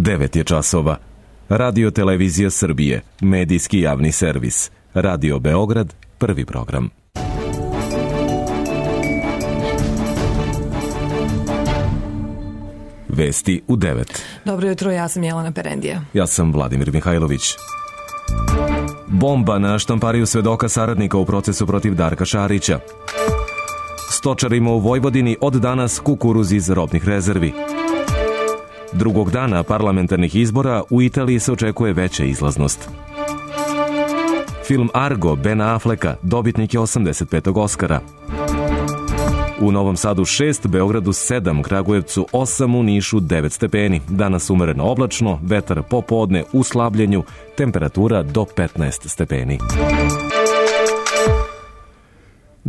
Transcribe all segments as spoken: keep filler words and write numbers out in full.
devet je časova. Radio Televizija Srbije, medijski javni servis. Radio Beograd, prvi program. Vesti u devet. Dobro jutro, ja sam Jelena Perendija. Ja sam Vladimir Mihajlović. Bomba na štampariju svedoka saradnika u procesu protiv Darka Šarića. Stočarima u Vojvodini od danas kukuruz iz robnih rezervi. Drugog dana parlamentarnih izbora u Italiji se očekuje veća izlaznost. Film Argo Bena Afflecka dobitnik je osamdeset petog Oskara. U Novom Sadu šest, Beogradu sedam, Kragujevcu osam, u Nišu devet stepeni. Danas umereno oblačno, vetar popodne u slabljenju, temperatura do petnaest stepeni.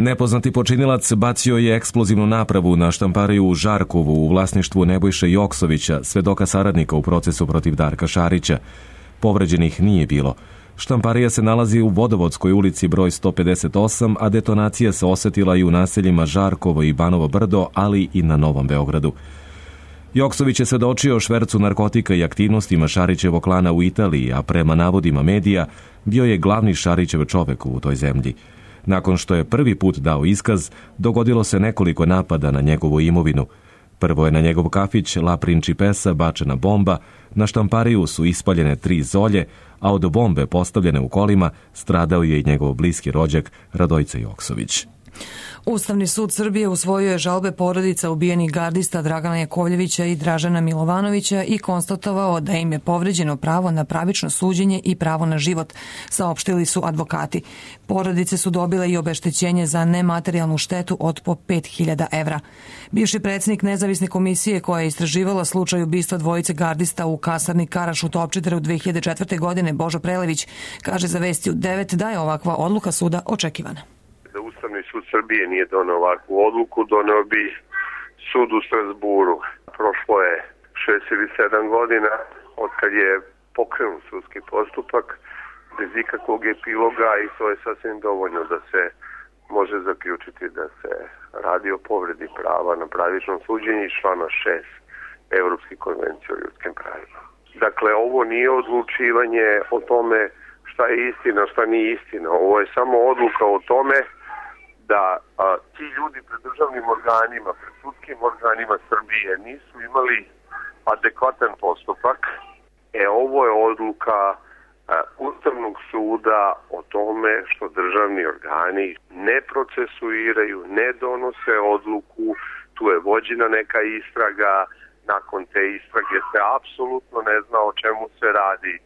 Nepoznati počinilac bacio je eksplozivnu napravu na štampariju u Žarkovu u vlasništvu Nebojše Joksovića, svedoka saradnika u procesu protiv Darka Šarića. Povređenih nije bilo. Štamparija se nalazi u Vodovodskoj ulici broj sto pedeset osam, a detonacija se osetila i u naseljima Žarkovo i Banovo Brdo, ali i na Novom Beogradu. Joksović je svedočio o švercu narkotika i aktivnostima Šarićevog klana u Italiji, a prema navodima medija bio je glavni Šarićev čovek u toj zemlji. Nakon što je prvi put dao iskaz, dogodilo se nekoliko napada na njegovu imovinu. Prvo je na njegov kafić La Principessa bačena bomba, na štampariju su ispaljene tri zolje, a od bombe postavljene u kolima stradao je i njegov bliski rođak Radojca Joksović. Ustavni sud Srbije usvojio je žalbe porodica ubijenih gardista Dragana Jakovljevića i Dražana Milovanovića i konstatovao da im je povređeno pravo na pravično suđenje i pravo na život, saopštili su advokati. Porodice su dobile i obeštećenje za nematerijalnu štetu od po pet hiljada evra. Bivši predsjednik nezavisne komisije koja je istraživala slučaj ubistva dvojice gardista u kasarni Karaš u Topčideru dve hiljade četvrte. godine, Božo Prelević, kaže za Vesti u devet da je ovakva odluka suda očekivana. Da Ustavni sud Srbije nije doneo ovakvu odluku, doneo bi sud u Strasburu. Prošlo je šest ili sedam godina od kad je pokrenut sudski postupak bez ikakvog epiloga i to je sasvim dovoljno da se može zaključiti da se radi o povredi prava na pravično suđenje iz člana šest Evropske konvencije o ljudskim pravima. Dakle, ovo nije odlučivanje o tome šta je istina, šta nije istina. Ovo je samo odluka o tome da a, ti ljudi pred državnim organima, pred sudskim organima Srbije nisu imali adekvatan postupak. E, ovo je odluka a, Ustavnog suda o tome što državni organi ne procesuiraju, ne donose odluku, tu je vođena neka istraga, nakon te istrage se apsolutno ne zna o čemu se radi.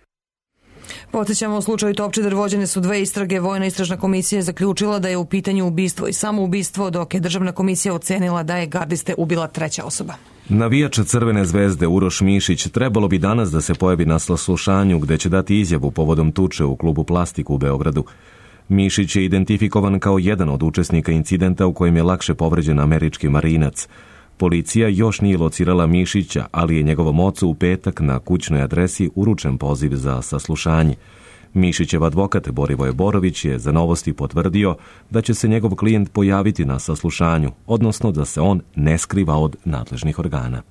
Podsjećamo, u slučaju Topčider vođene su dve istrage. Vojna istražna komisija je zaključila da je u pitanju ubistvo i samoubistvo, dok je državna komisija ocenila da je gardiste ubila treća osoba. Navijač Crvene zvezde Uroš Mišić trebalo bi danas da se pojavi na saslušanju gde će dati izjavu povodom tuče u klubu Plastik u Beogradu. Mišić je identifikovan kao jedan od učesnika incidenta u kojem je lakše povređen američki marinac. Policija još nije locirala Mišića, ali je njegovom ocu u petak na kućnoj adresi uručen poziv za saslušanje. Mišićev advokat Borivoje Borović je za Novosti potvrdio da će se njegov klijent pojaviti na saslušanju, odnosno da se on ne skriva od nadležnih organa.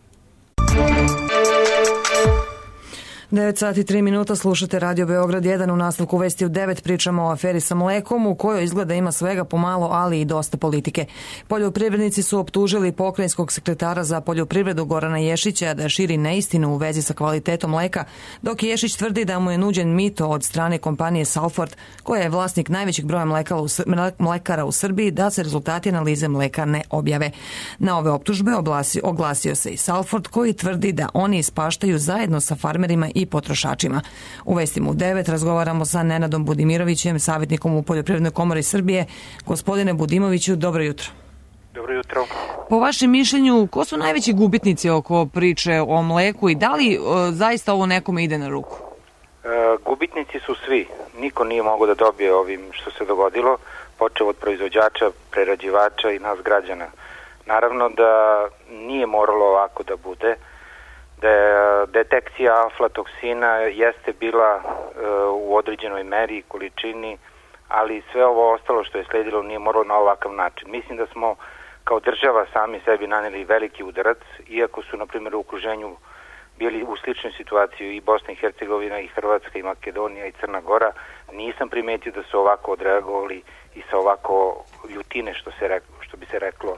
devet sati i tri minuta, slušate Radio Beograd jedan. U nastavku Vesti u devet pričamo o aferi sa mlekom u kojoj izgleda ima svega pomalo, ali i dosta politike. Poljoprivrednici su optužili pokrajinskog sekretara za poljoprivredu Gorana Ješića da širi neistinu u vezi sa kvalitetom mleka, dok Ješić tvrdi da mu je nuđen mito od strane kompanije Salford, koja je vlasnik najvećeg broja mlekara u Srbiji, da se rezultati analize mleka ne objave. Na ove optužbe oglasio, oglasio se i Salford, koji tvrdi da oni ispaštaju zajedno sa farmerima i potrošačima. U Vestima u devet razgovaramo sa Nenadom Budimirovićem, savjetnikom u Poljoprivrednoj komori Srbije. Gospodine Budimoviću, dobro jutro. Dobro jutro. Po vašem mišljenju, ko su najveći gubitnici oko priče o mleku i da li e, zaista ovo nekome ide na ruku? E, gubitnici su svi. Niko nije mogao da dobije ovim što se dogodilo, počeo od proizvođača, prerađivača i nas građana. Naravno da nije moralo ovako da bude. Da detekcija aflatoksina jeste bila e, u određenoj meri i količini, ali sve ovo ostalo što je sledilo nije moralo na ovakav način. Mislim da smo kao država sami sebi naneli veliki udarac, iako su, na primjer, u okruženju bili u sličnoj situaciji i Bosna i Hercegovina i Hrvatska i Makedonija i Crna Gora, nisam primetio da su ovako odreagovali i sa ovako ljutine, što, se reklo, što bi se reklo,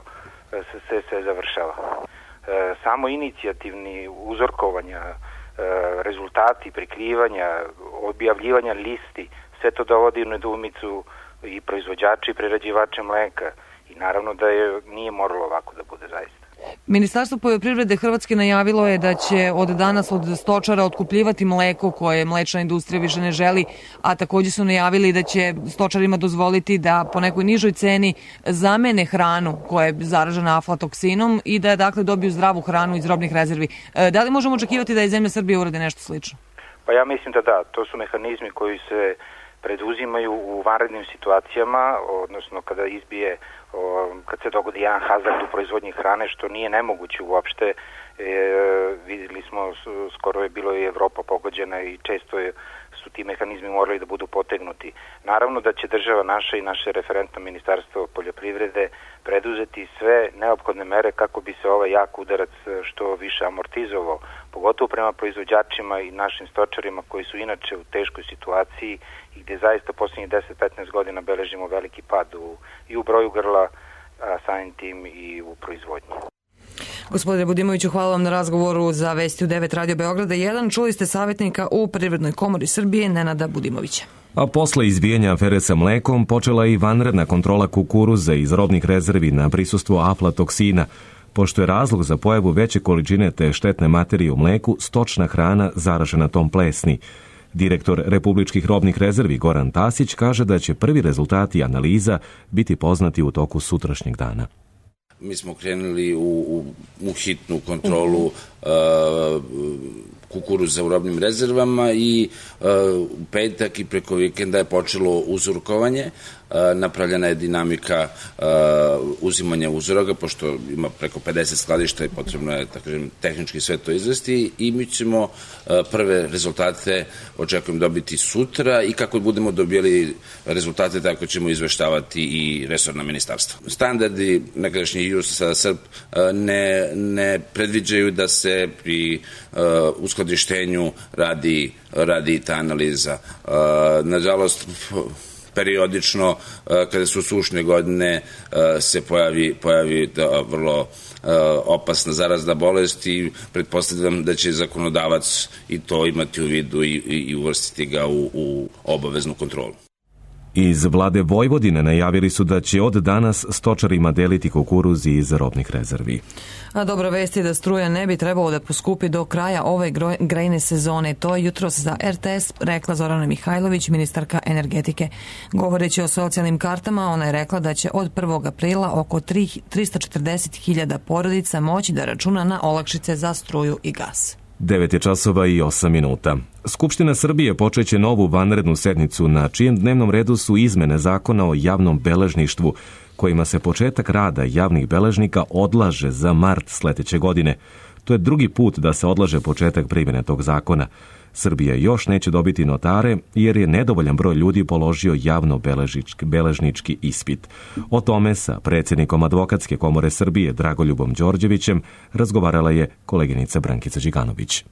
se, se, se završava. E, samo inicijativni uzorkovanja, e, rezultati, prikrivanja, objavljivanja listi, sve to dovodi u nedoumicu i proizvođače i prerađivače mleka i naravno da je nije moralo ovako da bude zaista. Ministarstvo poljoprivrede Hrvatske najavilo je da će od danas od stočara otkupljivati mleko koje mlečna industrija više ne želi, a takođe su najavili da će stočarima dozvoliti da po nekoj nižoj ceni zamene hranu koja je zaražena aflatoksinom i da dakle dobiju zdravu hranu iz robnih rezervi. Da li možemo očekivati da i zemlja Srbije urade nešto slično? Pa ja mislim da da, to su mehanizmi koji se preduzimaju u vanrednim situacijama, odnosno kada izbije, kad se dogodi jedan hazard u proizvodnji hrane, što nije nemoguće uopšte. E, vidjeli smo, skoro je bilo i Evropa pogođena i često je, su ti mehanizmi morali da budu potegnuti. Naravno da će država naša i naše referentno ministarstvo poljoprivrede preduzeti sve neophodne mere kako bi se ovaj jak udarac što više amortizovao, pogotovo prema proizvođačima i našim stočarima koji su inače u teškoj situaciji i gde zaista posljednjih deset do petnaest godina beležimo veliki pad u, i u broju grla, a samim tim i u proizvodnji. Gospodine Budimoviću, hvala vam na razgovoru za Vesti u devet Radio Beograda jedan. Čuli ste savjetnika u Privrednoj komori Srbije Nenada Budimovića. A posle izbijanja afere sa mlekom počela je i vanredna kontrola kukuruza iz robnih rezervi na prisustvo aflatoksina, pošto je razlog za pojavu veće količine te štetne materije u mleku stočna hrana zaražena tom plesni. Direktor Republičkih robnih rezervi Goran Tasić kaže da će prvi rezultati analiza biti poznati u toku sutrašnjeg dana. Mi smo krenuli u, u, u hitnu kontrolu uh, kukuruza u robnim rezervama i uh, u petak i preko vikenda je počelo uzorkovanje. Uh, napravljena je dinamika uh, uzimanja uzoraka, pošto ima preko pedeset skladišta i potrebno je, tako kažem, tehnički sve to izvesti i mi ćemo uh, prve rezultate očekujem dobiti sutra i kako budemo dobijali rezultate, tako ćemo izveštavati i resorna ministarstva. Standardi nekadašnji E U S A uh, ne, ne predviđaju da se pri uh, uskladištenju radi, radi ta analiza. Uh, nažalost, periodično, kada su sušne godine, se pojavi, pojavi vrlo opasna zarazna bolest i pretpostavljam da će zakonodavac i to imati u vidu i, i uvrstiti ga u, u obaveznu kontrolu. Iz vlade Vojvodine najavili su da će od danas stočarima deliti kukuruz iz robnih rezervi. A dobra vest je da struja ne bi trebalo da poskupi do kraja ove grejne sezone. To je jutros za R T S rekla Zorana Mihajlović, ministarka energetike. Govoreći o socijalnim kartama, ona je rekla da će od prvog aprila oko trista četrdeset hiljada porodica moći da računa na olakšice za struju i gas. devet je časova i osam minuta. Skupština Srbije počeće novu vanrednu sednicu na čijem dnevnom redu su izmene zakona o javnom beležništvu, kojima se početak rada javnih beležnika odlaže za mart sledeće godine. To je drugi put da se odlaže početak primjene tog zakona. Srbija još neće dobiti notare jer je nedovoljan broj ljudi položio javno beležnički ispit. O tome sa predsjednikom Advokatske komore Srbije Dragoljubom Đorđevićem razgovarala je koleginica Brankica Điganović.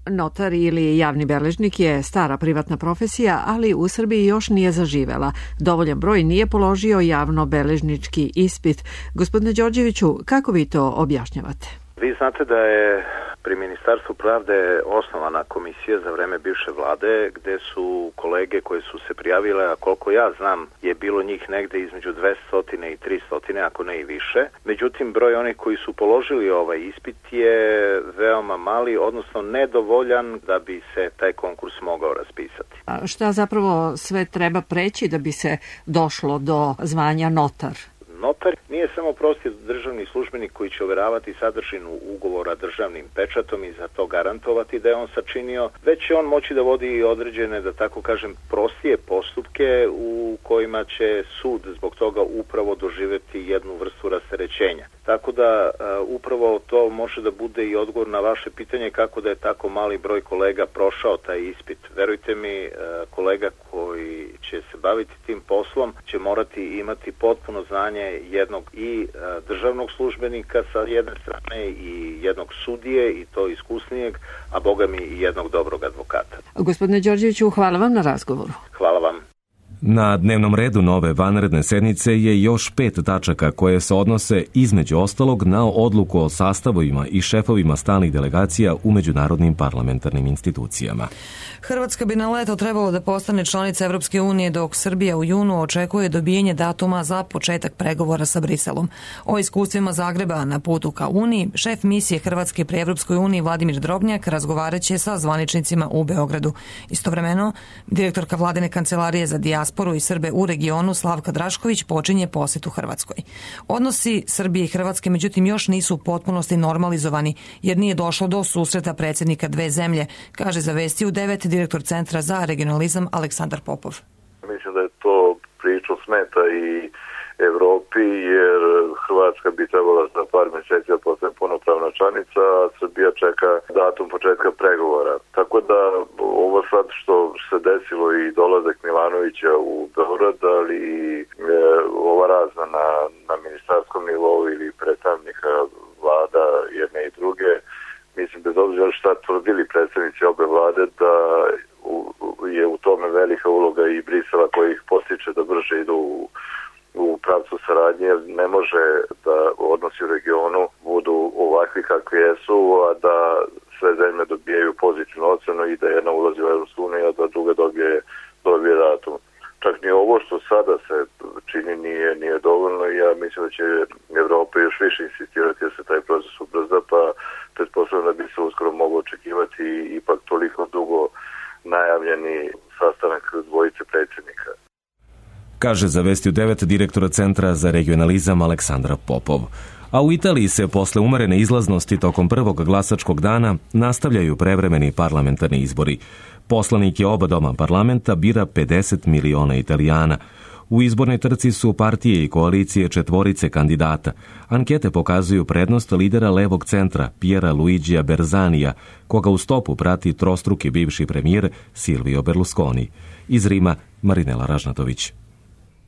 Notar ili javni beležnik je stara privatna profesija, ali u Srbiji još nije zaživela. Dovoljan broj nije položio javno beležnički ispit. Gospodine Đorđeviću, kako vi to objašnjavate? Vi znate da je pri Ministarstvu pravde osnovana komisija za vreme bivše vlade gde su kolege koje su se prijavile, a koliko ja znam je bilo njih negde između dvesta i trista, ako ne i više. Međutim, broj onih koji su položili ovaj ispit je veoma mali, odnosno nedovoljan da bi se taj konkurs mogao raspisati. A šta zapravo sve treba preći da bi se došlo do zvanja notar? Notar nije samo prosti državni službenik koji će overavati sadržinu ugovora državnim pečatom i za to garantovati da je on sačinio, već će on moći da vodi određene, da tako kažem, prostije postupke u kojima će sud zbog toga upravo doživeti jednu vrstu rasterećenja. Tako da upravo to može da bude i odgovor na vaše pitanje kako da je tako mali broj kolega prošao taj ispit. Verujte mi, kolega koji će se baviti tim poslom će morati imati potpuno znanje jednog i državnog službenika sa jedne strane i jednog sudije i to iskusnijeg, a boga mi i jednog dobrog advokata. Gospodine Đorđeviću, hvala vam na razgovoru. Hvala vam. Na dnevnom redu nove vanredne sednice je još pet tačaka koje se odnose između ostalog na odluku o sastavovima i šefovima stalnih delegacija u međunarodnim parlamentarnim institucijama. Hrvatska bi na leto trebalo da postane članica Evropske unije, dok Srbija u junu očekuje dobijenje datuma za početak pregovora sa Briselom. O iskustvima Zagreba na putu ka Uniji, šef misije Hrvatske pri Evropskoj uniji Vladimir Drobnjak razgovaraće sa zvaničnicima u Beogradu. Istovremeno, direktorka vladine kancelarije za dijasporu i Srbe u regionu Slavka Drašković počinje posjetu Hrvatskoj. Odnosi Srbije i Hrvatske međutim još nisu u potpunosti normalizovani jer nije došlo do susreta predsjednika dve zemlje, kaže za Vesti u devet direktor Centra za regionalizam Aleksandar Popov. Mislim da je to priču smeta i Evropi jer Hrvatska bi trebala za par mjeseci da postane punopravna članica, a Srbija čeka datum početka pregovora. Tako da ovo sad što se desilo i dolazak Milanovića u Beograd, ali i e, ova razna na, na ministarskom nivou ili predstavnika vlada jedne i druge, mislim bez obzira šta tvrdili predstavnici obe vlade da u, je u tome velika uloga i Brisela koji ih postiče da brže idu u u pravcu saradnje, jer ne može da odnosi u regionu budu ovakvi kakvi jesu, a da sve zemlje dobijaju pozitivnu ocenu i da jedna ulazi u Evropsku uniju, a da druga dobije, dobije datum. Čak ni ovo što sada se čini nije, nije dovoljno i ja mislim da će Evropa još više insistirati da se taj proces ubrza, pa pretpostavljam da bi se uskoro moglo očekivati ipak toliko dugo najavljeni sastanak dvojice predsjednika. Kaže za Vesti u devet direktora Centra za regionalizam Aleksandra Popov. A u Italiji se posle umerene izlaznosti tokom prvog glasačkog dana nastavljaju prevremeni parlamentarni izbori. Poslanike oba doma parlamenta bira pedeset miliona Italijana. U izbornoj trci su partije i koalicije četvorice kandidata. Ankete pokazuju prednost lidera levog centra Piera Luigija Berzanija, koga u stopu prati trostruki bivši premijer Silvio Berlusconi. Iz Rima Marinela Ražnatović.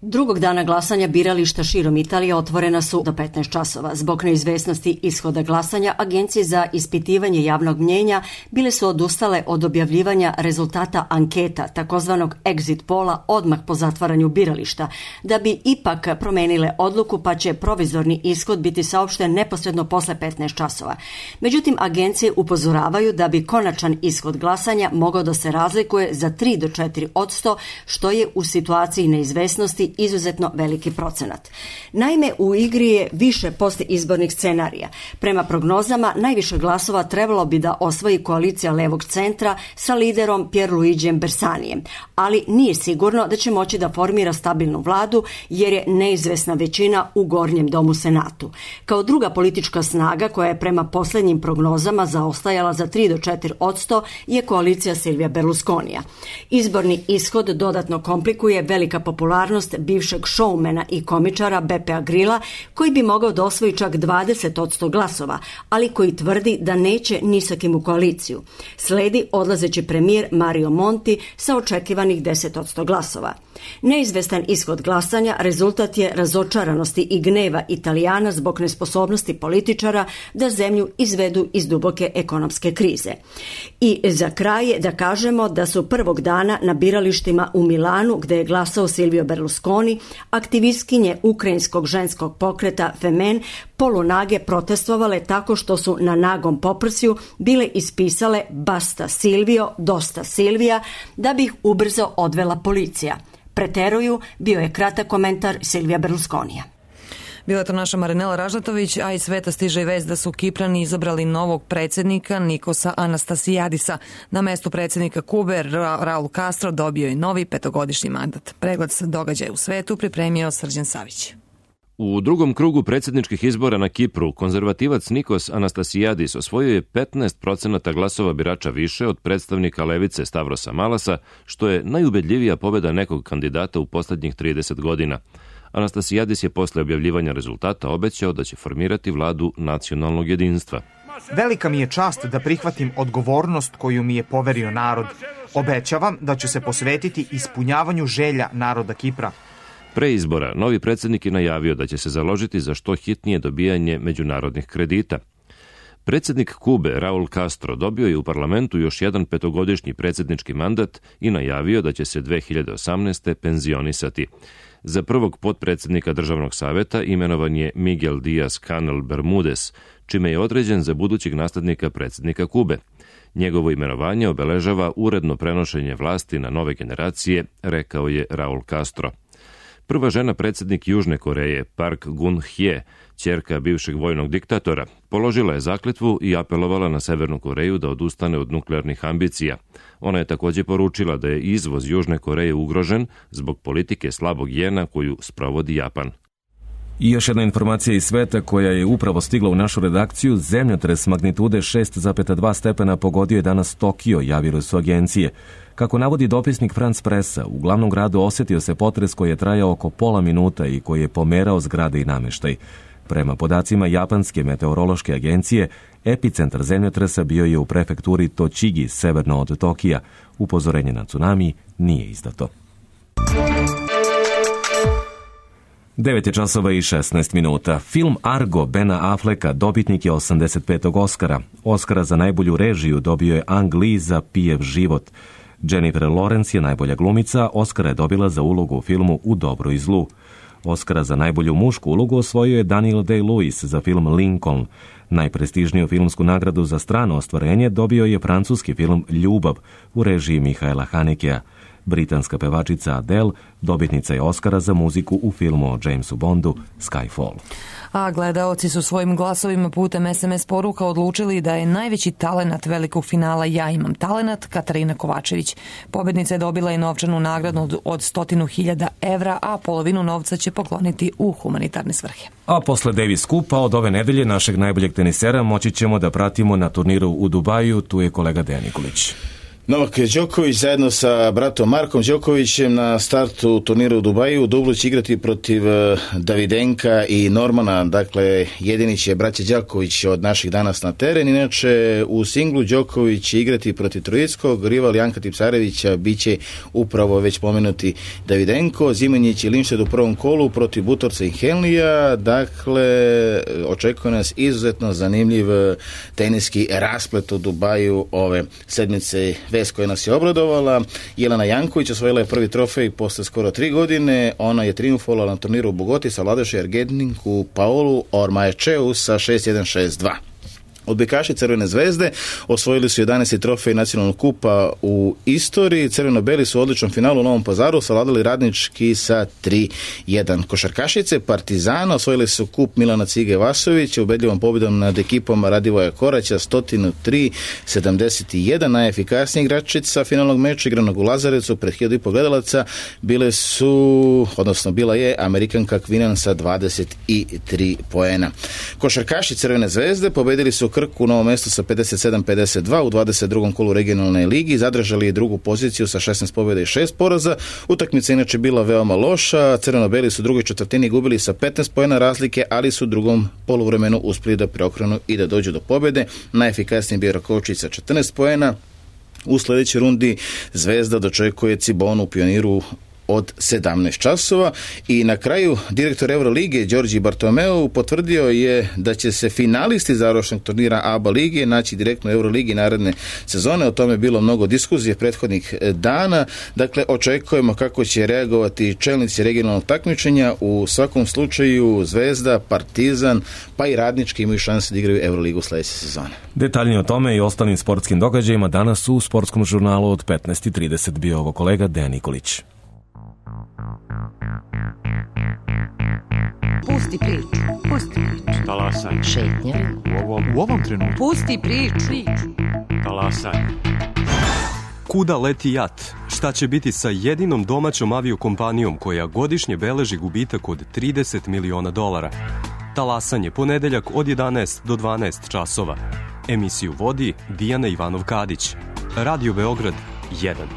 Drugog dana glasanja birališta širom Italije otvorena su do petnaest časova. Zbog neizvesnosti ishoda glasanja, agencije za ispitivanje javnog mnjenja bile su odustale od objavljivanja rezultata anketa, takozvanog exit pola, odmah po zatvaranju birališta, da bi ipak promenile odluku pa će provizorni ishod biti saopšten neposredno posle petnaest časova. Međutim, agencije upozoravaju da bi konačan ishod glasanja mogao da se razlikuje za tri do četiri posto, što je u situaciji neizvesnosti izuzetno veliki procenat. Naime, u igri je više postizbornih scenarija. Prema prognozama, najviše glasova trebalo bi da osvoji koalicija levog centra sa liderom Pierluigijem Bersanijem, ali nije sigurno da će moći da formira stabilnu vladu jer je neizvesna većina u Gornjem domu Senatu. Kao druga politička snaga koja je prema posljednjim prognozama zaostajala za tri do četiri posto je koalicija Silvija Berlusconija. Izborni ishod dodatno komplikuje velika popularnost bivšeg šoumena i komičara Beppea Grilla, koji bi mogao da osvoji čak dvadeset posto glasova, ali koji tvrdi da neće ni sa kim u koaliciju. Sledi odlazeći premijer Mario Monti sa očekivanih deset posto glasova. Neizvestan ishod glasanja rezultat je razočaranosti i gneva Italijana zbog nesposobnosti političara da zemlju izvedu iz duboke ekonomske krize. I za kraj da kažemo da su prvog dana na biralištima u Milanu, gde je glasao Silvio Berlusconi, aktivistkinje ukrajinskog ženskog pokreta Femen polunage protestovale tako što su na nagom poprsju bile ispisale Basta Silvio, dosta Silvija, da bi ih ubrzo odvela policija. Preteruju, bio je kratak komentar Silvija Berlusconija. Bila je to naša Marinela Ražnatović, a iz sveta stiže i vest da su Kiprani izabrali novog predsjednika Nikosa Anastasijadisa. Na mestu predsjednika Kube Raul Castro dobio je novi petogodišnji mandat. Pregled događaja u svetu pripremio Srđan Savić. U drugom krugu predsjedničkih izbora na Kipru, konzervativac Nikos Anastasijadis osvojio je petnaest procenata glasova birača više od predstavnika levice Stavrosa Malasa, što je najubedljivija pobjeda nekog kandidata u posljednjih trideset godina. Anastasijadis je posle objavljivanja rezultata obećao da će formirati vladu nacionalnog jedinstva. Velika mi je čast da prihvatim odgovornost koju mi je poverio narod. Obećavam da ću se posvetiti ispunjavanju želja naroda Kipra. Pre izbora, novi predsjednik je najavio da će se založiti za što hitnije dobijanje međunarodnih kredita. Predsjednik Kube, Raul Castro, dobio je u parlamentu još jedan petogodišnji predsjednički mandat i najavio da će se dve hiljade osamnaeste. penzionisati. Za prvog potpredsjednika državnog saveta imenovan je Miguel Díaz-Canel Bermudez, čime je određen za budućeg naslednika predsjednika Kube. Njegovo imenovanje obeležava uredno prenošenje vlasti na nove generacije, rekao je Raul Castro. Prva žena predsjednik Južne Koreje, Park Geun-hye, ćerka bivšeg vojnog diktatora, položila je zakletvu i apelovala na Severnu Koreju da odustane od nuklearnih ambicija. Ona je također poručila da je izvoz Južne Koreje ugrožen zbog politike slabog jena koju sprovodi Japan. I još jedna informacija iz sveta koja je upravo stigla u našu redakciju. Zemljotres magnitude šest zarez dva stepena pogodio je danas Tokio, javile su agencije. Kako navodi dopisnik Franz Pressa, u glavnom gradu osjetio se potres koji je trajao oko pola minuta i koji je pomerao zgrade i namještaj. Prema podacima japanske meteorološke agencije, epicentar zemljotresa bio je u prefekturi Tochigi, severno od Tokija. Upozorenje na tsunami nije izdato. devet je časova i šesnaest minuta. Film Argo Bena Afflecka dobitnik je osamdeset petog Oskara. Oskara za najbolju režiju dobio je Ang Lee za Pijev život. Jennifer Lawrence je najbolja glumica, Oskara je dobila za ulogu u filmu U dobru i zlu. Oskara za najbolju mušku ulogu osvojio je Daniel Day-Lewis za film Lincoln. Najprestižniju filmsku nagradu za strano ostvarenje dobio je francuski film Ljubav u režiji Mihaela Hanekea. Britanska pevačica Adele dobitnica je Oskara za muziku u filmu o Jamesu Bondu Skyfall. A gledaoci su svojim glasovima putem es em es poruka odlučili da je najveći talenat velikog finala Ja imam talenat Katarina Kovačević. Pobednica je dobila i novčanu nagradu od, od stotinu hiljada evra, a polovinu novca će pokloniti u humanitarne svrhe. A posle Davis Cupa od ove nedelje našeg najboljeg tenisera moći ćemo da pratimo na turniru u Dubaju. Tu je kolega Dejan Nikolić. Novak Đoković zajedno sa bratom Markom Đokovićem na startu turnira u Dubaju. U dublu će igrati protiv Davidenka i Normana. Dakle, jedini će braća Đaković od naših danas na teren. Inače, u singlu Đoković će igrati protiv Trojickog. Rival Janka Tipsarevića biće upravo već pomenuti Davidenko. Zimanjić i Linšted u prvom kolu protiv Butorca i Henlija. Dakle, očekuje nas izuzetno zanimljiv teniski rasplet u Dubaju ove sedmice. Vest koja nas je obradovala, Jelena Janković osvojila je prvi trofej posle skoro tri godine. Ona je triumfovala na turniru u Bogoti sa vladaši Argentinku Paolu Ormaecheu sa šest jedan šest dva. Odbojkaši Crvene zvezde osvojili su jedanaesti trofej nacionalnog kupa u istoriji. Crveno-beli su u odličnom finalu u Novom Pazaru savladali Radnički sa tri jedan. Košarkašice Partizana osvojili su kup Milana Cige Vasovića ubedljivom pobjedom nad ekipom Radivoja Koraća sto tri sedamdeset jedan. Najefikasnija igračica finalnog meča igranog u Lazarecu pred hiljadu i po gledalaca bile su, odnosno bila je Amerikanka Kvinan sa dvadeset tri poena. Košarkaši Crvene zvezde pobedili su Krku u Novom Mestu sa pedeset sedam pedeset dva u dvadeset drugom kolu regionalne ligi, zadržali je drugu poziciju sa šesnaest pobjeda i šest poraza. Utakmica inače bila veoma loša, crveno-beli su u drugoj četvrtini gubili sa petnaest poena razlike, ali su u drugom poluvremenu uspjeli da preokrenu i da dođu do pobjede. Najefikasniji bio Rakovičić sa četrnaest poena. U sljedećoj rundi Zvezda dočekuje Cibonu u Pioniru od sedamnaest časova i na kraju direktor Eurolige Đorđe Bartomeu potvrdio je da će se finalisti završnog turnira A B A lige naći direktno u Euroligi naredne sezone. O tome je bilo mnogo diskuzije prethodnih dana. Dakle, očekujemo kako će reagovati čelnici regionalnog takmičenja. U svakom slučaju Zvezda, Partizan pa i Radnički imaju šanse da igraju Euroligu sljedeće sezone. Detaljnije o tome i ostalim sportskim događajima danas u sportskom žurnalu od petnaest i trideset bio ovo kolega Dejan Nikolić. Pusti priču, pusti priču. Talasaj. Šetnja. U ovom, u ovom trenutku. Pusti priču. Talasaj. Kuda leti jat? Šta će biti sa jedinom domaćom aviokompanijom koja godišnje beleži gubitak od trideset miliona dolara? Talasanje ponedeljak od jedanaest do dvanaest časova. Emisiju vodi Dijana Ivanov-Kadić. Radio Beograd jedan.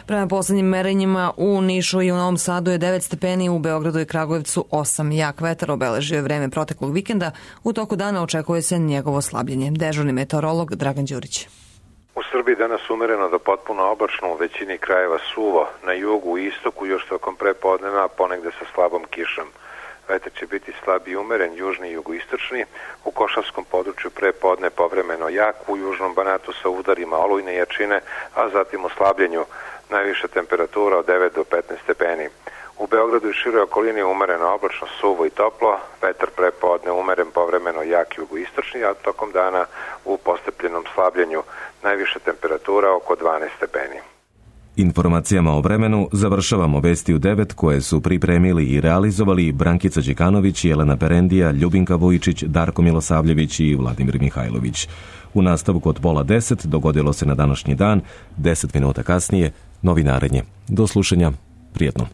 Prema poslednjim merenjima u Nišu i u Novom Sadu je devet stepeni, u Beogradu i Kragujevcu osam. Jak vetar obeležio je vreme proteklog vikenda. U toku dana očekuje se njegovo slabljenje. Dežurni meteorolog Dragan Đurić. U Srbiji danas umereno do potpuno oblačno, u većini krajeva suvo, na jugu i istoku još tokom prepodneva, ponegde sa slabom kišom. Vetar će biti slab i umeren, južni i jugoistočni, u Košavskom području prepodne povremeno jak, u južnom Banatu sa udarima olujne jačine, a zatim u slabljenju, najviša temperatura od devet do petnaest stepeni. U Beogradu i široj okolini umereno oblačno, suvo i toplo, vetar prepodne umeren povremeno jak jugoistočni, a tokom dana u postepljenom slabljenju, najviša temperatura oko dvanaest stepeni. Informacijama o vremenu završavamo vesti u devet koje su pripremili i realizovali Brankica Đekanović, Jelena Perendija, Ljubinka Vujičić, Darko Milosavljević i Vladimir Mihajlović. U nastavku od pola deset dogodilo se na današnji dan, deset minuta kasnije, novinarenje. Do slušanja, prijetno.